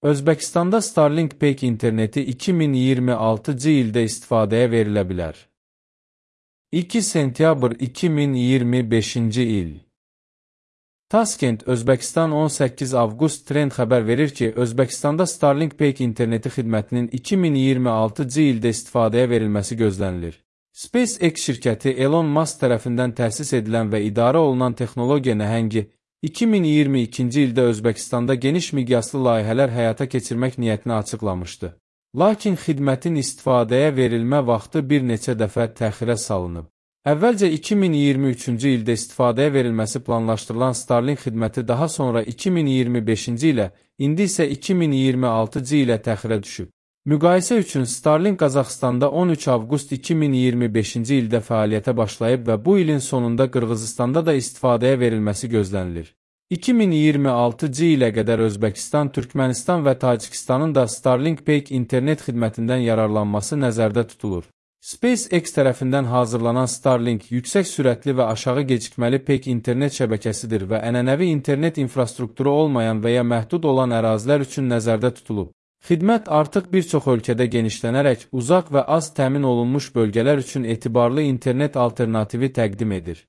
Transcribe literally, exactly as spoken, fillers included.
Özbəkistanda Starlink Payk interneti iki min iyirmi altıncı ildə istifadəyə verilə bilər. iki sentyabr iki min iyirmi beşinci il. Taskent, Özbəkistan on səkkiz avqust trend xəbər verir ki, Özbəkistanda Starlink Payk interneti xidmətinin iki min iyirmi altıncı ildə istifadəyə verilməsi gözlənilir. SpaceX şirkəti Elon Musk tərəfindən təsis edilən və idarə olunan texnologiya nəhəngi iki min iyirmi ikinci ildə Özbəkistanda geniş miqyaslı layihələr həyata keçirmək niyyətini açıqlamışdı. Lakin xidmətin istifadəyə verilmə vaxtı bir neçə dəfə təxirə salınıb. Əvvəlcə iki min iyirmi üçüncü ildə istifadəyə verilməsi planlaşdırılan Starlink xidməti daha sonra iki min iyirmi beşinci ilə, indi isə iki min iyirmi altıncı ilə təxirə düşüb. Müqayisə üçün Starlink Qazaxıstanda on üç avqust iki min iyirmi beşinci ildə fəaliyyətə başlayıb və bu ilin sonunda Qırğızistanda da istifadəyə verilməsi gözlənilir. iki min iyirmi altıncı ilə qədər Özbəkistan, Türkmənistan və Tacikistanın da Starlink Payk internet xidmətindən yararlanması nəzərdə tutulur. SpaceX tərəfindən hazırlanan Starlink yüksək sürətli və aşağı gecikməli Payk internet şəbəkəsidir və ənənəvi internet infrastrukturu olmayan və ya məhdud olan ərazilər üçün nəzərdə tutulub. Xidmət artıq bir çox ölkədə genişlənərək uzaq və az təmin olunmuş bölgələr üçün etibarlı internet alternativi təqdim edir.